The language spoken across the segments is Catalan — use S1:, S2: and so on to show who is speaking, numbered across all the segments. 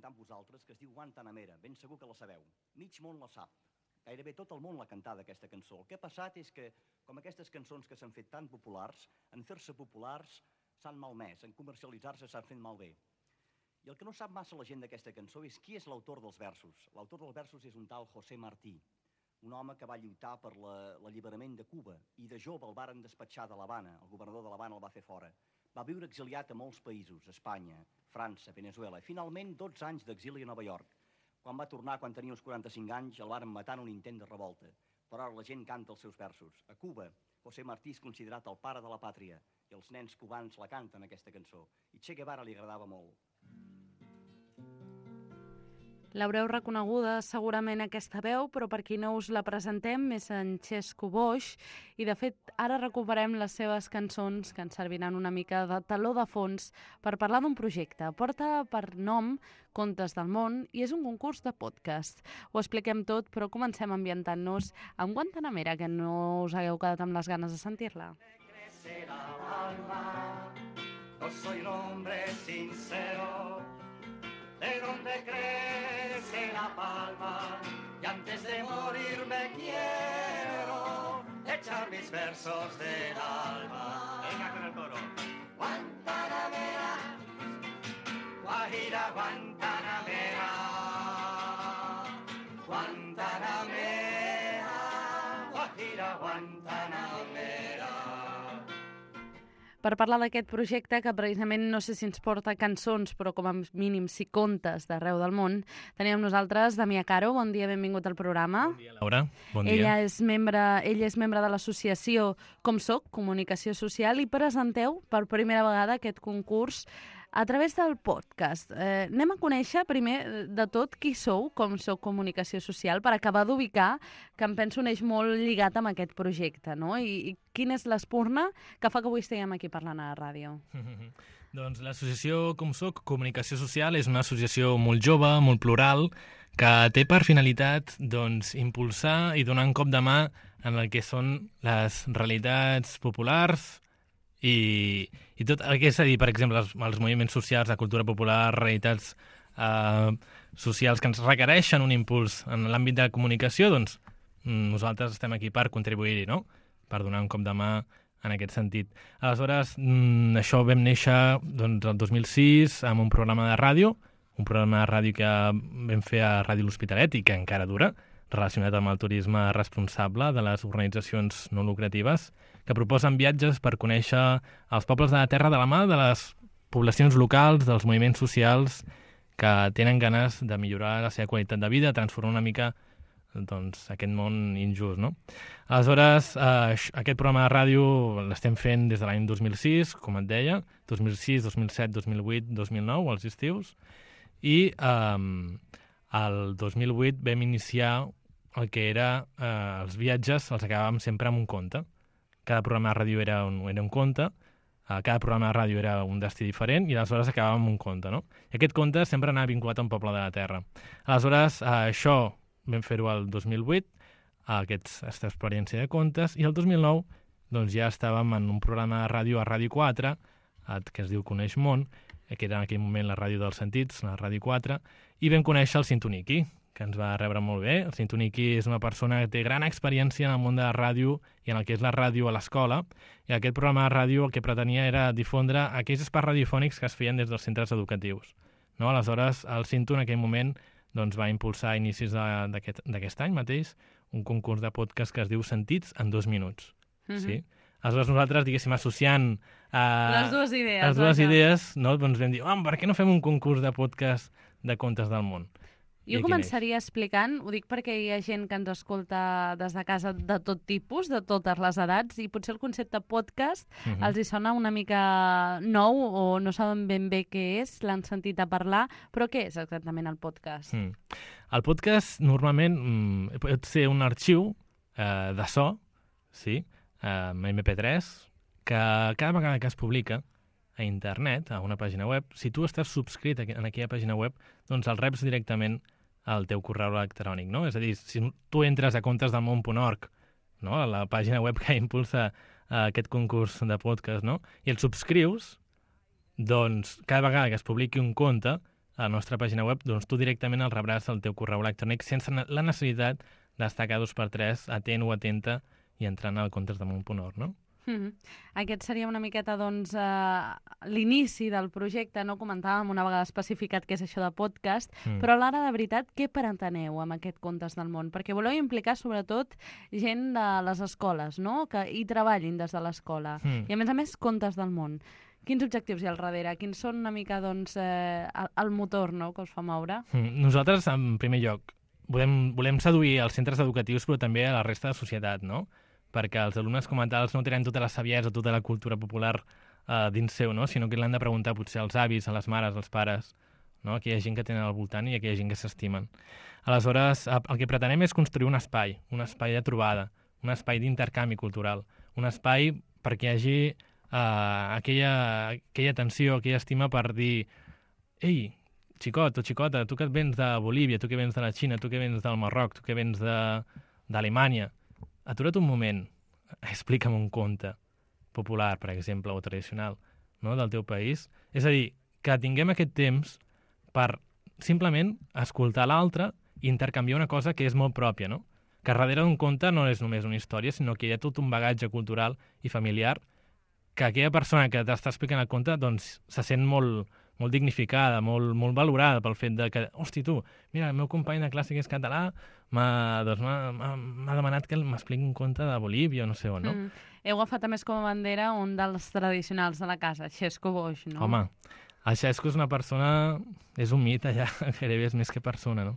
S1: presentar amb vosaltres, que es diu Guantanamera. Ben segur que la sabeu. Mig món la sap. Gairebé tot el món l'ha cantada, aquesta cançó. El que ha passat és que, com aquestes cançons que s'han fet tan populars, en fer-se populars s'han malmès, en comercialitzar-se s'han fet malbé. I el que no sap massa la gent d'aquesta cançó és qui és l'autor dels versos. L'autor dels versos és un tal José Martí, un home que va lluitar per l'alliberament de Cuba, i de jove el varen despatxar de l'Havana, el governador de l'Havana el va fer fora. Va viure exiliat a molts països, Espanya, França, Venezuela, i finalment 12 anys d'exili a Nova York. Quan va tornar, quan tenia uns 45 anys, el varen matar en un intent de revolta. Però ara la gent canta els seus versos. A Cuba, José Martí és considerat el pare de la pàtria, i els nens cubans la canten, aquesta cançó. I Che Guevara li agradava molt.
S2: L'haureu reconeguda segurament aquesta veu, però per qui no us la presentem és en Xesco Boix, i de fet ara recuperem les seves cançons que ens serviran una mica de taló de fons per parlar d'un projecte. Porta per nom Contes del món i és un concurs de podcast. Ho expliquem tot, però comencem ambientant-nos amb Guantanamera, que no us hagueu quedat amb les ganes de sentir-la.
S1: No soy un hombre sincero, de donde crece la palma, y antes de morir me quiero echar mis versos del alma. Venga con el coro. Guantanamera, Guajira Guantanamera, Guantanamera, Guajira Guantanamera.
S2: Per parlar d'aquest projecte, que precisament no sé si ens porta cançons, però com a mínim sí contes d'arreu del món, tenim amb nosaltres Damià Caro. Bon dia, benvingut al programa.
S3: Bon dia, Laura. Bon dia.
S2: Ella és membre de l'associació Com Soc, Comunicació Social, i presenteu per primera vegada aquest concurs a través del podcast. Anem a conèixer primer de tot qui sou, Com Soc Comunicació Social, per acabar d'ubicar, que em penso un eix molt lligat amb aquest projecte, no? I quina és l'espurna que fa que avui estiguem aquí parlant a la ràdio?
S3: Doncs l'associació Com Soc Comunicació Social és una associació molt jove, molt plural, que té per finalitat impulsar i donar un cop de mà en el que són les realitats populars i tot el que és a dir, per exemple, els moviments socials, la cultura popular, realitats socials que ens requereixen un impuls en l'àmbit de la comunicació, doncs nosaltres estem aquí per contribuir-hi, no? Per donar un cop de mà en aquest sentit. Aleshores, això vam néixer el 2006 amb un programa de ràdio que vam fer a Ràdio L'Hospitalet i que encara dura, relacionat amb el turisme responsable de les organitzacions no lucratives, que proposen viatges per conèixer els pobles de la terra de la mà de les poblacions locals, dels moviments socials que tenen ganes de millorar la seva qualitat de vida, transformar una mica aquest món injust, no? Aleshores, aquest programa de ràdio l'estem fent des de l'any 2006, com et deia, 2006, 2007, 2008, 2009, als estius, i el 2008 vam iniciar el que era els viatges, els acabàvem sempre amb un conte. Cada programa de ràdio era un conte, cada programa de ràdio era un destí diferent i aleshores acabàvem amb un conte, no? I aquest conte sempre anava vinculat a un poble de la terra. Aleshores, això vam fer-ho el 2008, aquesta experiència de contes, i el 2009 doncs, ja estàvem en un programa de ràdio a Ràdio 4, que es diu Coneix Món, que era en aquell moment la ràdio dels sentits, la Ràdio 4, i vam conèixer el Cintoniki, que ens va rebre molt bé. El Cintoniki és una persona que té gran experiència en el món de la ràdio i en el que és la ràdio a l'escola, i aquest programa de ràdio el que pretenia era difondre aquells espais radiofònics que es feien des dels centres educatius. No? Aleshores, el Cinto en aquell moment va impulsar a inicis d'aquest any mateix un concurs de podcast que es diu Sentits en 2 minuts. Sí? Aleshores nosaltres, diguéssim, associant
S2: les
S3: dues idees, no? Doncs vam dir, per què no fem un concurs de podcast de contes del món?
S2: Jo començaria explicant, ho dic perquè hi ha gent que ens escolta des de casa de tot tipus, de totes les edats, i potser el concepte podcast els hi sona una mica nou o no saben ben bé què és, l'han sentit a parlar, però què és exactament el podcast?
S3: El podcast normalment pot ser un arxiu de so, sí, MP3, que cada vegada que es publica a internet, a una pàgina web, si tu estàs subscrit en aquella pàgina web, doncs el reps directament al teu correu electrònic, no? És a dir, si tu entres a contesdelmón.org, no? A la pàgina web que impulsa aquest concurs de podcast, no? I el subscrius, doncs cada vegada que es publiqui un conte, a la nostra pàgina web, doncs tu directament el rebràs al teu correu electrònic sense la necessitat d'estar cada 2x3 atent o atenta i entrant al contesdamunt.org, no?
S2: Aquest seria una miqueta, doncs, l'inici del projecte, no? Comentàvem una vegada especificat què és això de podcast, però a l'ara, de veritat, què preteneu amb aquest Contes del Món? Perquè voleu implicar, sobretot, gent de les escoles, no? Que hi treballin des de l'escola. I, a més, Contes del Món. Quins objectius hi ha al darrere? Quins són una mica, doncs, el motor, no?, que us fa moure?
S3: Nosaltres, en primer lloc, volem seduir els centres educatius, però també a la resta de societat, no? Perquè els alumnes com a tals no tenen tota la saviesa, tota la cultura popular dins seu, no? Sinó que l'han de preguntar potser als avis, a les mares, als pares, no? Aquella gent que tenen al voltant i aquella gent que s'estimen. Aleshores, el que pretenem és construir un espai de trobada, un espai d'intercanvi cultural, un espai perquè hi hagi aquella atenció, aquella estima per dir ei, xicot o xicota, tu que vens de Bolívia, tu que vens de la Xina, tu que vens del Marroc, tu que vens d'Alemanya, atura't un moment, explica'm un conte popular, per exemple, o tradicional, no?, del teu país. És a dir, que tinguem aquest temps per simplement escoltar l'altre i intercanviar una cosa que és molt pròpia, no? Que darrere d'un conte no és només una història, sinó que hi ha tot un bagatge cultural i familiar que aquella persona que t'està explicant el conte doncs se sent molt dignificada, molt valorada pel fet de que, hosti, tu, mira, el meu company de classe que és català m'ha demanat que m'expliqui un conte de Bolívia o no sé on, no?
S2: Heu agafat a més com a bandera un dels tradicionals de la casa, Xesco Boix, no?
S3: Home, el Xesco és una persona, és un mite ja, gairebé és més que persona, no?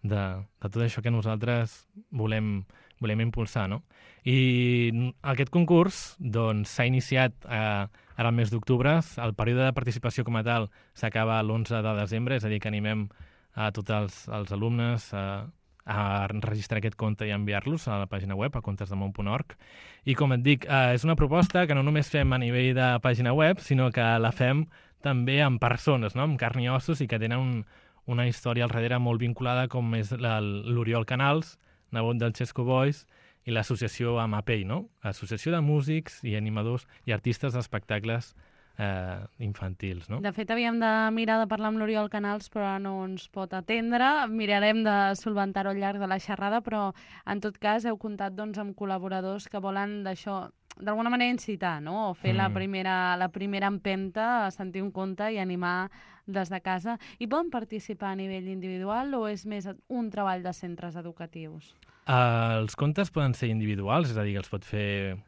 S3: De tot això que nosaltres volem impulsar, no? I aquest concurs doncs s'ha iniciat ara al mes d'octubre. El període de participació com a tal s'acaba l'11 de desembre, és a dir, que animem a tots els alumnes a registrar aquest conte i enviar-los a la pàgina web, a contesdamunt.org. I com et dic, és una proposta que no només fem a nivell de pàgina web, sinó que la fem també amb persones, no?, amb carn i ossos, i que tenen una història al darrere molt vinculada, com és l'Oriol Canals, nebot del Xesco Boix, i l'associació AMAPEI, no?, Associació de Músics i Animadors i Artistes d'Espectacles infantils, no?
S2: De fet, havíem de mirar de parlar amb l'Oriol Canals, però no ens pot atendre. Mirarem de solventar-ho al llarg de la xerrada, però en tot cas heu comptat, doncs, amb col·laboradors que volen d'això, d'alguna manera incitar, no?, o fer la primera empenta, sentir un conte i animar des de casa. I poden participar a nivell individual o és més un treball de centres educatius?
S3: Els contes poden ser individuals, és a dir, que els pot fer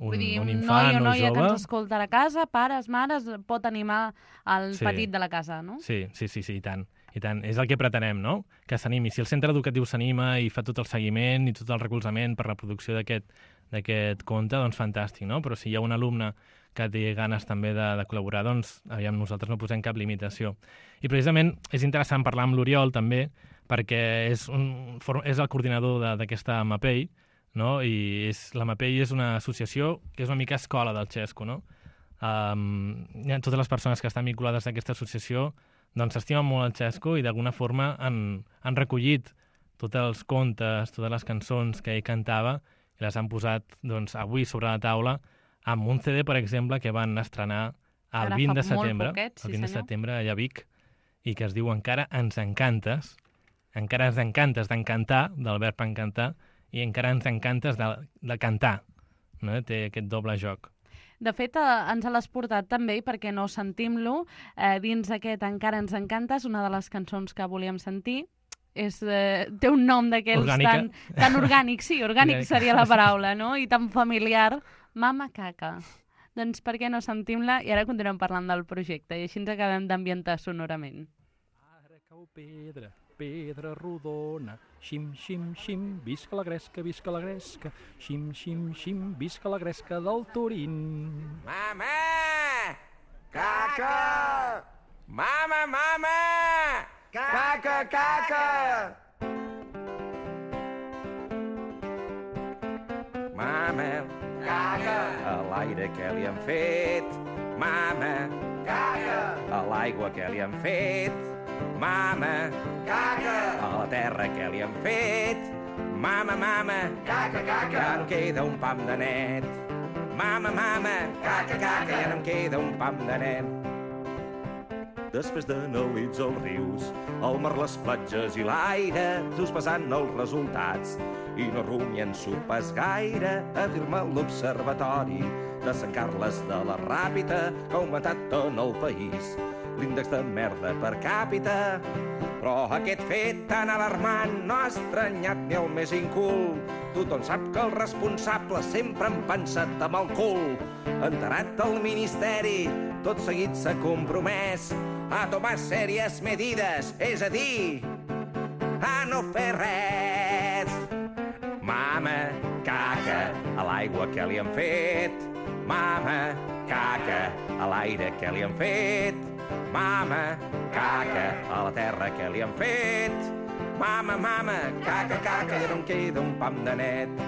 S3: un infant o
S2: noi o noia
S3: jove.
S2: Que ens escolta a casa, pares, mares, pot animar el petit de la casa, no?
S3: Sí, i tant. I tant. És el que pretenem, no?, que s'animi. Si el centre educatiu s'anima i fa tot el seguiment i tot el recolzament per la producció d'aquest conte, doncs fantàstic, no? Però si hi ha un alumne que té ganes també de col·laborar, doncs aviam, nosaltres no posem cap limitació. I precisament és interessant parlar amb l'Oriol també, perquè és el coordinador d'aquesta AMAPEI, no? I la AMAPEI és una associació que és una mica escola del Xesco, no? Totes les persones que estan vinculades a aquesta associació doncs s'estimen molt el Xesco i d'alguna forma han recollit tots els contes, totes les cançons que ell cantava i les han posat doncs, avui sobre la taula amb un CD, per exemple, que van estrenar el 20 de setembre, el 20 de setembre allà a Vic, i que es diu Encara ens encantes, encara ens encantes d'encantar, del verb encantar, i encara ens encantes de cantar, no? Té aquest doble joc.
S2: De fet, ens l'has portat també, perquè no sentim-lo, dins aquest Encara ens encantes, una de les cançons que volíem sentir, té un nom d'aquells tan orgànic, sí, orgànic seria la paraula, no?, i tan familiar, Mama Caca. Doncs per què no sentim-la? I ara continuem parlant del projecte, i així ens acabem d'ambientar sonorament.
S4: Ara cau pedra, pedra rodona, xim, xim, xim, visca la gresca, xim, xim, xim, visca la gresca del Turín.
S5: Mama! Caca! Mama! Caca! Mama! Caca! A l'aire que li han fet, mama! Caca! A l'aigua que li han fet, mama! Caca! A la terra que li han fet, mama! Caca! Ja no queda un pam de net. Mama! Caca! Ja no em queda un pam de net. després de nits als rius, el mar, les platges i l'aire, dus pesant els resultats. I no rumien sopes gaire, afirma l'Observatori de Sant Carles de la Ràpita, que ha augmentat en el país l'índex de merda per càpita. Però aquest fet tan alarmant no ha estranyat ni el més incul. Tothom sap que el responsable sempre han pensat amb el cul. Enterat el ministeri, tot seguit s'ha compromès a tomar sèries medides, és a dir, a no fer res. Mama, caca, a l'aigua que li han fet. Mama, caca, a l'aire que li han fet. Mama, caca, a la terra que li han fet. Mama, mama, caca, caca, ja no em queda un pam de net.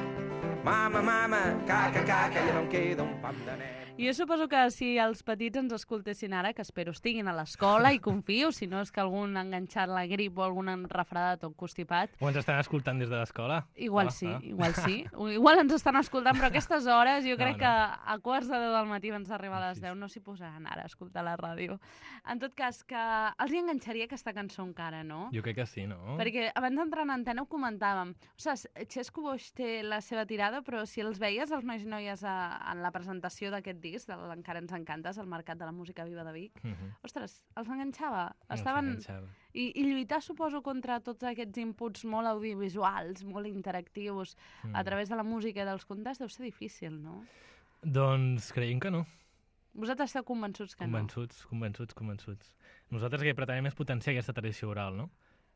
S5: Mama, mama, caca, caca, ja no em queda un pam de net.
S2: Jo suposo que si els petits ens escoltessin ara, que espero estiguin a l'escola i confio, si no és que algun ha enganxat la grip o algun refredat o constipat.
S3: O ens estan escoltant des de l'escola?
S2: Igual sí, igual sí. Igual ens estan escoltant, però a aquestes hores jo crec que a quarts de 10 del matí abans d'arribar a les 10 no s'hi posaran ara a escoltar la ràdio. En tot cas, que els hi enganxaria aquesta cançó encara, no?
S3: Jo crec que sí, no?
S2: Perquè abans d'entrar en antena ho comentàvem. Ostres, Xesco Boix té la seva tirada, però si els veies, els nois i noies, en la presentació d'aquest disc, de l'Encara ens encantes, al Mercat de la Música Viva de Vic, ostres, els enganxava. Estaven... I lluitar, suposo, contra tots aquests inputs molt audiovisuals, molt interactius, a través de la música i dels contes, deu ser difícil, no?
S3: Doncs creiem que no.
S2: Vosaltres esteu convençuts que no?
S3: Convençuts. Nosaltres el que pretenem és potenciar aquesta tradició oral, no?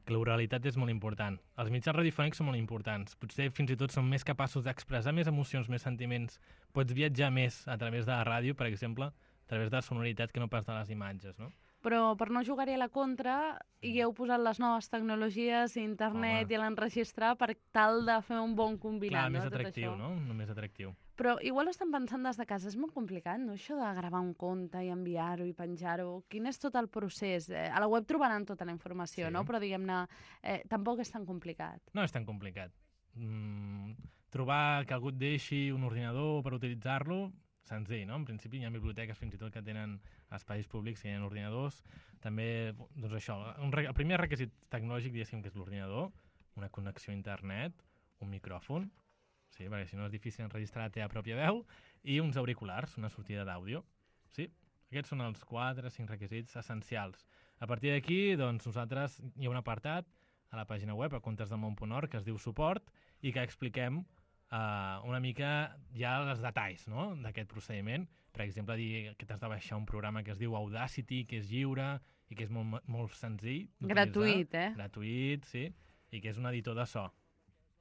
S3: Que l'oralitat és molt important. Els mitjans radiofònics són molt importants. Potser fins i tot són més capaços d'expressar més emocions, més sentiments. Pots viatjar més a través de la ràdio, per exemple, a través de la sonoritat que no pas de les imatges, no?
S2: Però per no jugar-hi a la contra, hi heu posat les noves tecnologies, internet i l'enregistrar per tal de fer un bon combinat.
S3: Clar, més atractiu, no? Més atractiu.
S2: Però igual ho estan pensant des de casa, és molt complicat, no? Això de gravar un conte i enviar-ho i penjar-ho. Quin és tot el procés? A la web trobaran tota la informació, no? Però diguem-ne, tampoc és tan complicat.
S3: No és tan complicat. Trobar que algú et deixi un ordinador per utilitzar-lo, senzill, no? En principi hi ha biblioteques fins i tot que tenen espais públics que hi ha ordinadors. També, doncs això, el primer requisit tecnològic, diguéssim, que és l'ordinador, una connexió a internet, un micròfon, sí, perquè si no és difícil enregistrar la teva pròpia veu, i uns auriculars, una sortida d'àudio. Sí, aquests són els 4-5 requisits essencials. A partir d'aquí, doncs, nosaltres hi ha un apartat a la pàgina web, a contesdelmón.org, que es diu suport, i que expliquem una mica ja els detalls, no?, d'aquest procediment. Per exemple, dir que t'has de baixar un programa que es diu Audacity, que és lliure i que és molt senzill.
S2: Gratuït,
S3: Gratuït, sí, i que és un editor de so.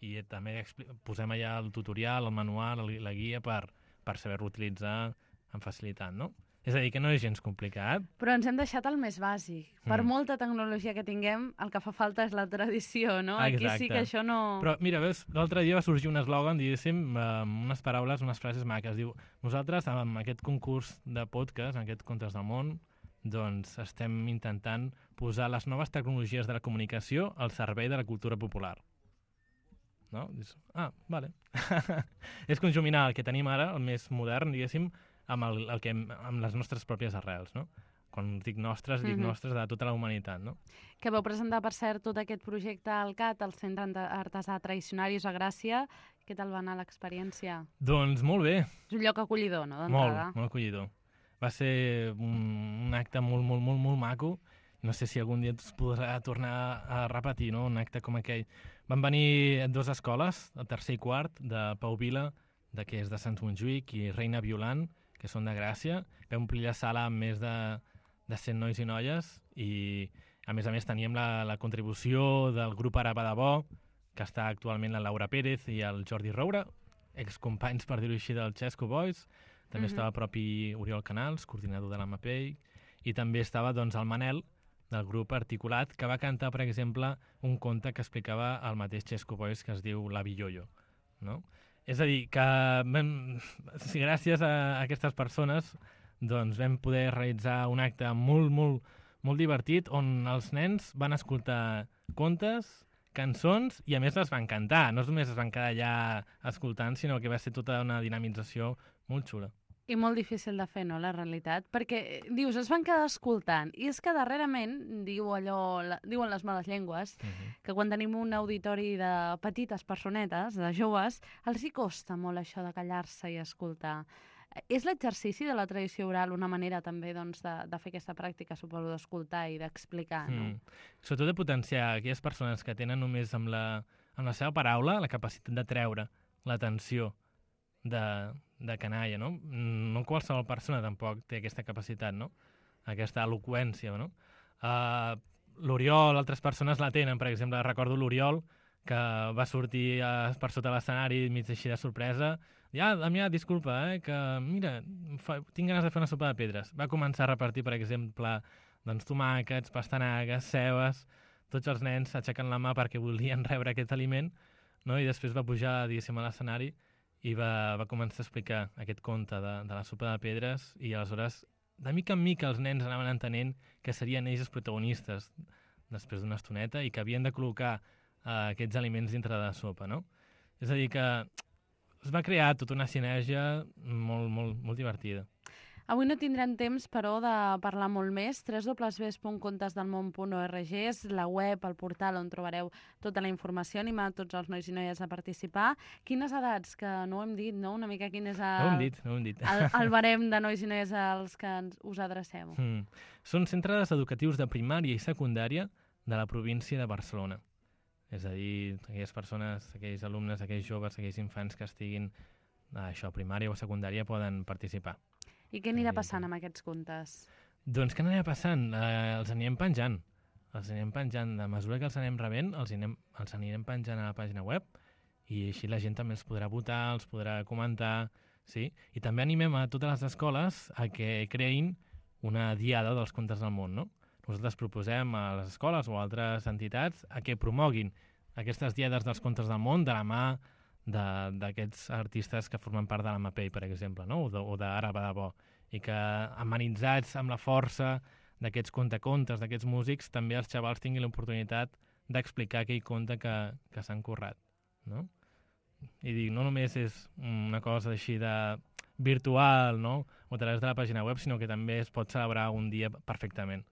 S3: I també posem allà el tutorial, el manual, la guia per saber-lo utilitzar amb facilitat, no? És a dir, que no és gens complicat.
S2: Però ens hem deixat el més bàsic. Per molta tecnologia que tinguem, el que fa falta és la tradició, no?
S3: Exacte.
S2: Aquí sí que això no...
S3: Però mira, veus, l'altre dia va sorgir un eslògan, diguéssim, unes paraules, unes frases maques. Diu, nosaltres, amb aquest concurs de podcast, en aquest Contes del Món, doncs estem intentant posar les noves tecnologies de la comunicació al servei de la cultura popular. No? Dius, vale. És conjuminar el que tenim ara, el més modern, diguéssim, amb les nostres pròpies arrels, no? Quan dic nostres, dic nostres de tota la humanitat, no?
S2: Que vau presentar, per cert, tot aquest projecte al CAT, al Centre Artesà Tradicionaris a Gràcia. Què tal va anar l'experiència?
S3: Doncs molt bé.
S2: És un lloc acollidor, no, d'entrada?
S3: Molt acollidor. Va ser un acte molt maco. No sé si algun dia es podrà tornar a repetir, no?, un acte com aquell. Van venir 2 escoles, el tercer i quart, de Pau Vila, que és de Sant Montjuïc, i Reina Violant, que són de Gràcia. Vam omplir la sala amb més de 100 nois i noies i, a més, teníem la contribució del grup Araba de Bo, que està actualment la Laura Pérez i el Jordi Roura, excompanys, per dir-ho així, del Xesco Boys. També estava el propi Oriol Canals, coordinador de la MAPEI, i també estava, doncs, el Manel, del grup Articulat, que va cantar, per exemple, un conte que explicava el mateix Xesco Boys, que es diu L'Avi Yoyo, no? És a dir, que gràcies a aquestes persones doncs vam poder realitzar un acte molt divertit on els nens van escoltar contes, cançons i a més les van cantar. No només es van quedar allà escoltant, sinó que va ser tota una dinamització molt xula.
S2: I molt difícil de fer, no, la realitat? Perquè, dius, es van quedar escoltant, i és que darrerament, diuen les males llengües, que quan tenim un auditori de petites personetes, de joves, els hi costa molt això de callar-se i escoltar. És l'exercici de la tradició oral una manera també doncs, de fer aquesta pràctica, suposo, d'escoltar i d'explicar, no?
S3: Sobretot de potenciar aquelles persones que tenen només amb la seva paraula la capacitat de treure l'atenció de canalla, no? No qualsevol persona tampoc té aquesta capacitat, no? Aquesta eloqüència, no? L'Oriol, altres persones la tenen, per exemple, recordo l'Oriol, que va sortir per sota l'escenari mig així de sorpresa, Damià, disculpa, que mira, tinc ganes de fer una sopa de pedres. Va començar a repartir, per exemple, doncs, tomàquets, pastanagues, cebes, tots els nens aixequen la mà perquè volien rebre aquest aliment, no? I després va pujar, diguéssim, a l'escenari i va començar a explicar aquest conte de la sopa de pedres, i aleshores, de mica en mica, els nens anaven entenent que serien ells els protagonistes després d'una estoneta i que havien de col·locar aquests aliments dintre de la sopa, no? És a dir, que es va crear tota una sinergia molt, molt, molt divertida.
S2: Avui no tindrem temps, però, de parlar molt més. www.contesdelmón.org és la web, el portal on trobareu tota la informació, animar tots els nois i noies a participar. Quines edats, que no ho hem dit, no? Una mica quin és
S3: No ho hem dit.
S2: el barem de nois i noies als que us adreceu?
S3: Són centres educatius de primària i secundària de la província de Barcelona. És a dir, aquelles persones, aquells alumnes, aquells joves, aquells infants que estiguin a primària o secundària poden participar.
S2: I què anirà passant amb aquests contes?
S3: Doncs què anirà passant? Els anirem penjant. De mesura que els anem rebent, els anirem penjant a la pàgina web, i així la gent també els podrà votar, els podrà comentar, sí? I també animem a totes les escoles a que creïn una diada dels contes del món, no? Nosaltres proposem a les escoles o a altres entitats a que promoguin aquestes diades dels contes del món de la mà d'aquests artistes que formen part de la MAPEI, per exemple, no? o d'Ara va de bo, i que amenitzats amb la força d'aquests contacontes, d'aquests músics, també els xavals tinguin l'oportunitat d'explicar aquell conte que s'han currat, no? I dic, no només és una cosa així de virtual, no? O a través de la pàgina web, sinó que també es pot celebrar un dia perfectament.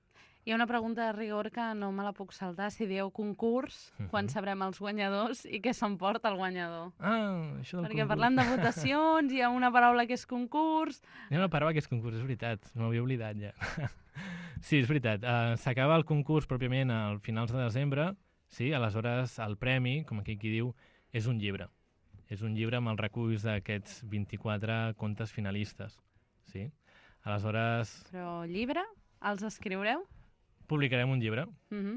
S2: Hi ha una pregunta de rigor que no me la puc saltar. Si dieu concurs, quan sabrem els guanyadors i què s'emporta el guanyador?
S3: Això del
S2: Perquè
S3: concurs.
S2: parlant de votacions, hi ha una paraula que és concurs.
S3: Hi ha una paraula que és concurs, és veritat. M'havia oblidat ja. Sí, és veritat. S'acaba el concurs pròpiament al finals de desembre. Sí, aleshores el premi, com aquí qui diu, és un llibre. És un llibre amb els reculls d'aquests 24 contes finalistes. Sí? Aleshores...
S2: Però llibre? Els escriureu?
S3: Publicarem un llibre.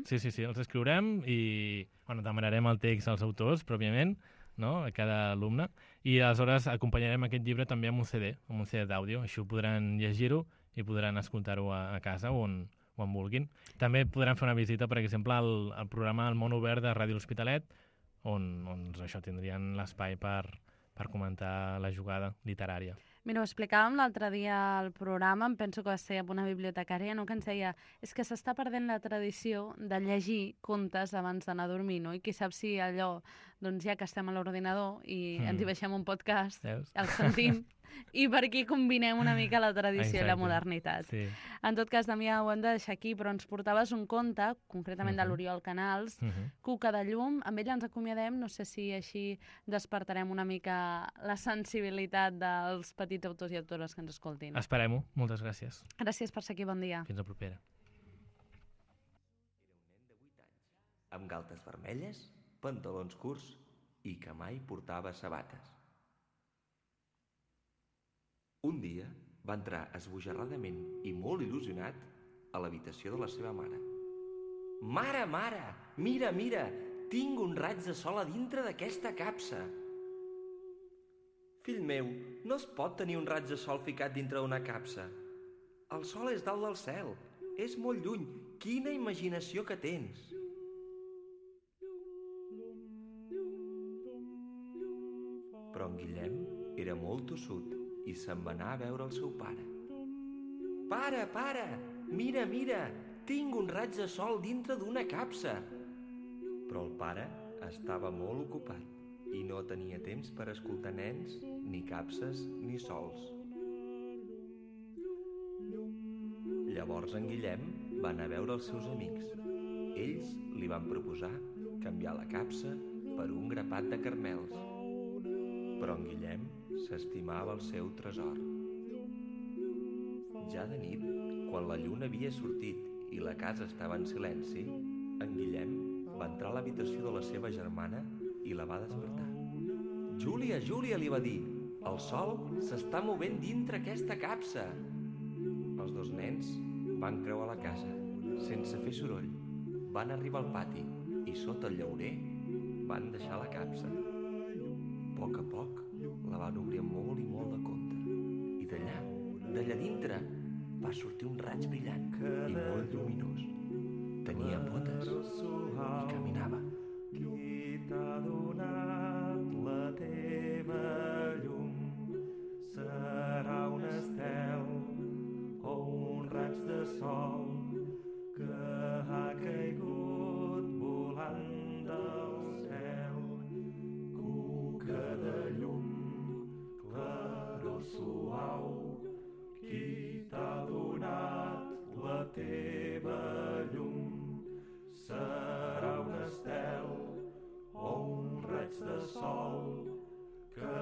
S3: Sí, els escriurem i demanarem el text als autors, pròpiament, no? A cada alumne, i aleshores acompanyarem aquest llibre també amb un CD d'àudio. Així ho podran llegir-ho i podran escoltar-ho a casa o on vulguin. També podran fer una visita, per exemple, al programa El Món Obert de Ràdio L'Hospitalet, on això tindrien l'espai per comentar la jugada literària.
S2: Mira, ho explicàvem l'altre dia al programa, em penso que va ser amb una bibliotecària, no? Que ens deia, és que s'està perdent la tradició de llegir contes abans d'anar a dormir, no? I qui sap si allò, doncs ja que estem a l'ordinador i ens hi baixem un podcast, el sentim, i per aquí combinem una mica la tradició i la modernitat.
S3: Sí.
S2: En tot cas, Damià, ho hem de deixar aquí, però ens portaves un conte, concretament de l'Oriol Canals, Cuca de llum. Amb ell ens acomiadem, no sé si així despertarem una mica la sensibilitat dels petits autors i autores que ens escoltin.
S3: Esperem-ho. Moltes gràcies.
S2: Gràcies per ser aquí, bon dia.
S3: Fins la propera.
S5: Amb galtes vermelles, pantalons curts i que mai portava sabates. Un dia va entrar esbojarradament i molt il·lusionat a l'habitació de la seva mare. «Mare, mare! Mira, mira! Tinc un raig de sol a dintre d'aquesta capsa!» «Fill meu, no es pot tenir un raig de sol ficat dintre d'una capsa. El sol és dalt del cel. És molt lluny. Quina imaginació que tens!» Però en Guillem era molt tossut i se'n va anar a veure el seu pare. «Pare, pare! Mira, mira! Tinc un raig de sol dintre d'una capsa!» Però el pare estava molt ocupat i no tenia temps per escoltar nens, ni capses, ni sols. Llavors en Guillem va anar a veure els seus amics. Ells li van proposar canviar la capsa per un grapat de carmels. Però en Guillem s'estimava el seu tresor. Ja de nit, quan la lluna havia sortit i la casa estava en silenci, en Guillem va entrar a l'habitació de la seva germana i la va despertar. «Júlia, Júlia», li va dir, «el sol s'està movent dintre aquesta capsa». Els dos nens van creuar la casa, sense fer soroll. Van arribar al pati i sota el llaurer van deixar la capsa. A poc, la van obrir amb molt i molt de compte. I d'allà dintre, va sortir un raig brillant i molt lluminós. Tenia potes i caminava. Qui t'ha donat la teva llum? Serà un estel o un raig de sol que ha caigut volant del cel. Cuca de llum, claror suau, qui t'ha donat la teva llum? Serà un estel o un raig de sol que